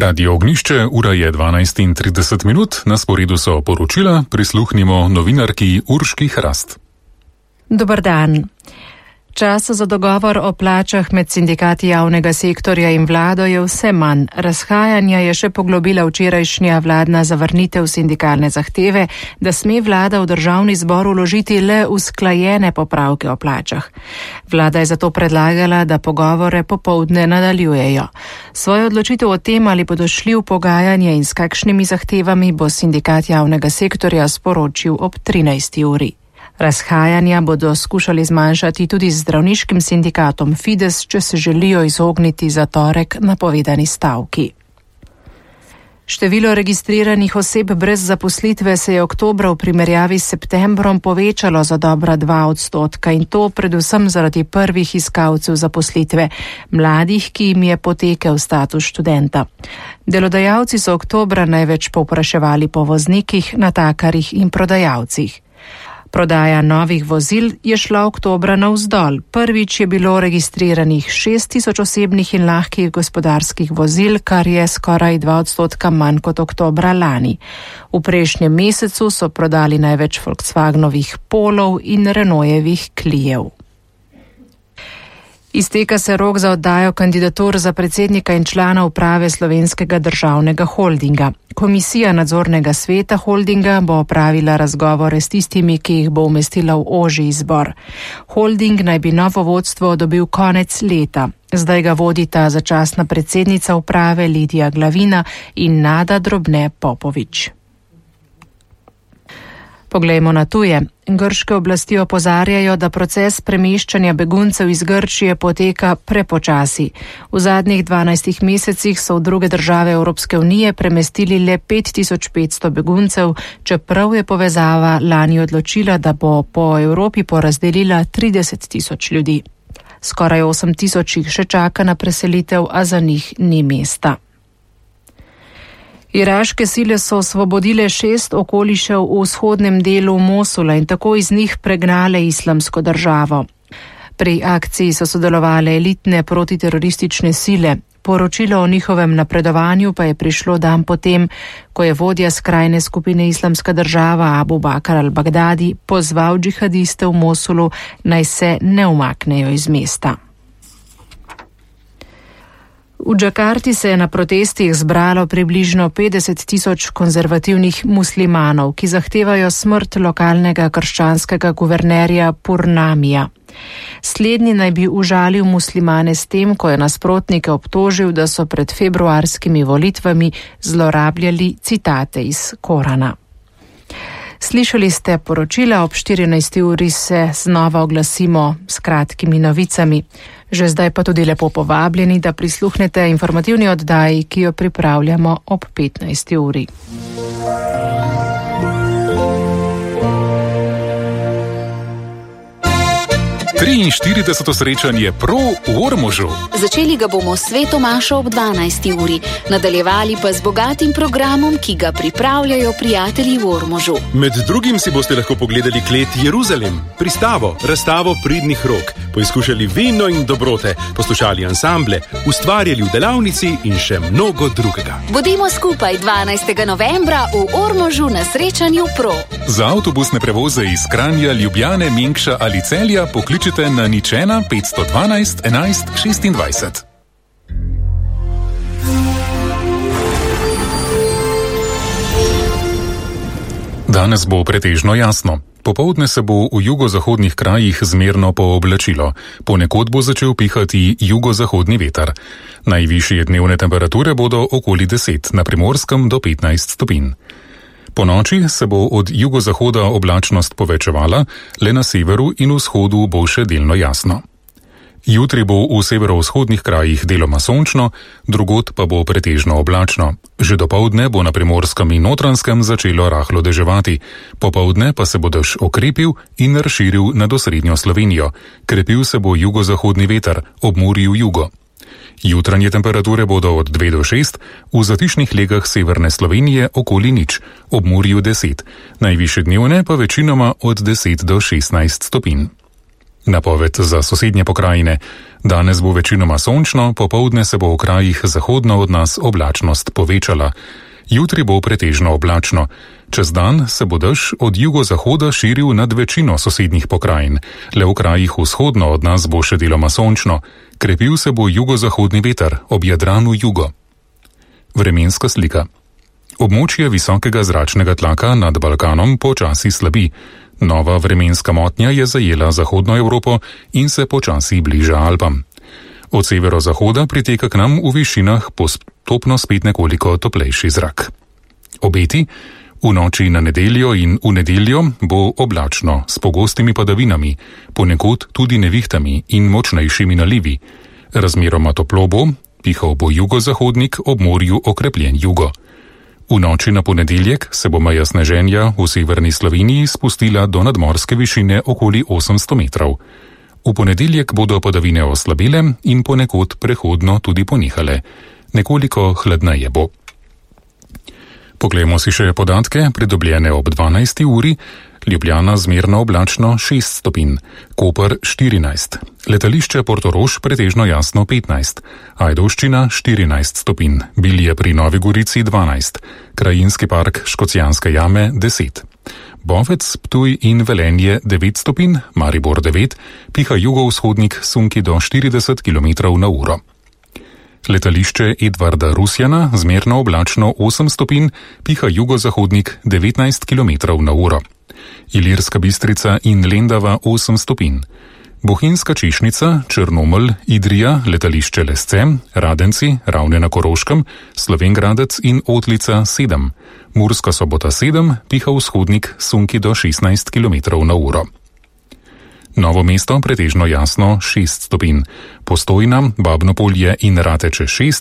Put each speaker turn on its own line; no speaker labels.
Radio Ognišče, ura je 12:30, na sporedu so poročila, prisluhnimo novinarki Urški Hrast.
Dober dan. Čas za dogovor o plačah med sindikati javnega sektorja in vlado je vse manj. Razhajanja je še poglobila včerajšnja vladna zavrnitev sindikalne zahteve, da sme vlada v državni zbor vložiti le usklajene popravke o plačah. Vlada je zato predlagala, da pogovore popoldne nadaljujejo. Svojo odločitev o tem, ali bodo šli v pogajanje in s kakšnimi zahtevami, bo sindikat javnega sektorja sporočil ob 13. uri. Razhajanja bodo skušali zmanjšati tudi z zdravniškim sindikatom Fides, če se želijo izogniti za torek napovedani stavki. Število registriranih oseb brez zaposlitve se je oktobra v primerjavi s septembrom povečalo za dobra 2% in to predvsem zaradi prvih iskalcev zaposlitve, mladih, ki jim je potekel status študenta. Delodajalci so oktobra največ povpraševali po voznikih, natakarjih in prodajalcih. Prodaja novih vozil je šla oktobra navzdol. Prvič je bilo registriranih 6.000 osebnih in lahkih gospodarskih vozil, kar je skoraj 2% manj kot oktobra lani. V prejšnjem mesecu so prodali največ Volkswagenovih Polov in Renaultjevih Clijev. Izteka se rok za oddajo kandidatur za predsednika in člana uprave Slovenskega državnega holdinga. Komisija nadzornega sveta holdinga bo opravila razgovore s tistimi, ki jih bo umestila v ožji izbor. Holding naj bi novo vodstvo dobil konec leta. Zdaj ga vodita začasna predsednica uprave Lidija Glavina in Nada Drobne Popovič. Poglejmo na tuje. Grške oblasti opozarjajo, da proces premeščanja beguncev iz Grčije poteka prepočasi. V zadnjih 12 mesecih so v druge države Evropske unije premestili le 5500 beguncev, čeprav je povezava lani odločila, da bo po Evropi porazdelila 30.000 ljudi. Skoraj 8.000 jih še čaka na preselitev, a za njih ni mesta. Iraške sile so osvobodile 6 okolišev v vzhodnem delu Mosula in tako iz njih pregnale islamsko državo. Pri akciji so sodelovale elitne protiteroristične sile. Poročilo o njihovem napredovanju pa je prišlo dan potem, ko je vodja skrajne skupine Islamska država Abu Bakr al-Baghdadi pozval džihadiste v Mosulu, naj se ne umaknejo iz mesta. V Džakarti se je na protestih zbralo približno 50.000 konzervativnih muslimanov, ki zahtevajo smrt lokalnega krščanskega guvernerja Purnamija. Slednji naj bi užalil muslimane s tem, ko je nasprotnike obtožil, da so pred februarskimi volitvami zlorabljali citate iz Korana. Slišali ste poročila, ob 14. uri se znova oglasimo s kratkimi novicami. Že zdaj pa tudi lepo povabljeni, da prisluhnete informativni oddaji, ki jo pripravljamo ob 15. uri.
Triinštirideseto srečanje Pro v Ormožu.
Začeli ga bomo s sveto mašo ob 12. uri, nadaljevali pa z bogatim programom, ki ga pripravljajo prijatelji v Ormožu.
Med drugim si boste lahko pogledali klet Jeruzalem, pristavo, razstavo pridnih rok, poizkušali vino in dobrote, poslušali ansamble, ustvarjali v delavnici in še mnogo drugega.
Bodimo skupaj 12. novembra v Ormožu na srečanju Pro.
Za avtobusne prevoze iz Kranja, Ljubljane, Mengša ali Celja pokličite na 01 512 11 26. Danes bo pretežno jasno. Popoldne se bo v jugozahodnih krajih zmerno pooblačilo. Ponekod bo začel pihati jugozahodni veter. Najvišje dnevne temperature bodo okoli 10, na Primorskem do 15 stopinj. Po noči se bo od jugozahoda oblačnost povečevala, le na severu in vzhodu bo še delno jasno. Jutri bo v severovzhodnih krajih deloma sončno, drugod pa bo pretežno oblačno. Že dopoldne bo na Primorskem in Notranjskem začelo rahlo deževati, popoldne pa se bo dež okrepil in razširil nad osrednjo Slovenijo. Krepil se bo jugozahodni veter, ob Murju jugo. Jutranje temperature bodo od 2 do 6, v zatišnih legah severne Slovenije okoli 0, ob Murju 10, najvišje dnevne pa večinoma od 10 do 16 stopinj. Napoved za sosednje pokrajine. Danes bo večinoma sončno, popoldne se bo v krajih zahodno od nas oblačnost povečala. Jutri bo pretežno oblačno. Čez dan se bo dež od jugozahoda širil nad večino sosednjih pokrajin. Le v krajih vzhodno od nas bo še deloma sončno. Krepil se bo jugozahodni veter, ob Jadranu jugo. Vremenska slika. Območje visokega zračnega tlaka nad Balkanom počasi slabi. Nova vremenska motnja je zajela zahodno Evropo in se počasi bliža Alpam. Od severozahoda priteka k nam v višinah postopno spet nekoliko toplejši zrak. Obeti. V noči na nedeljo in v nedeljo bo oblačno s pogostimi padavinami, ponekod tudi nevihtami in močnejšimi nalivi. Razmeroma toplo bo, pihal bo jugozahodnik, ob morju okrepljen jugo. V noči na ponedeljek se bo meja sneženja v severni Sloveniji spustila do nadmorske višine okoli 800 metrov. V ponedeljek bodo padavine oslabile in ponekod prehodno tudi ponehale. Nekoliko hladneje bo. Poglejmo si še podatke, pridobljene ob 12. uri. Ljubljana zmerno oblačno 6 stopinj, Koper 14, letališče Portorož pretežno jasno 15, Ajdovščina 14 stopinj, Bilje pri Novi Gorici 12, Krajinski park Škocjanske jame 10, Bovec, Ptuj in Velenje 9 stopinj, Maribor 9, piha jugovzhodnik sunki do 40 km/h. Letališče Edvarda Rusjana zmerno oblačno 8 stopinj, piha jugozahodnik 19 km/h. Ilirska Bistrica in Lendava 8 stopinj. Bohinjska Češnica, Črnomelj, Idrija, letališče Lesce, Radenci, Ravne na Koroškem, Slovengradec in Otlica 7. Murska Sobota 7, piha vzhodnik sunki do 16 km/h. Novo mesto pretežno jasno 6 stopinj. Postojna, Babno Polje in Rateče 6,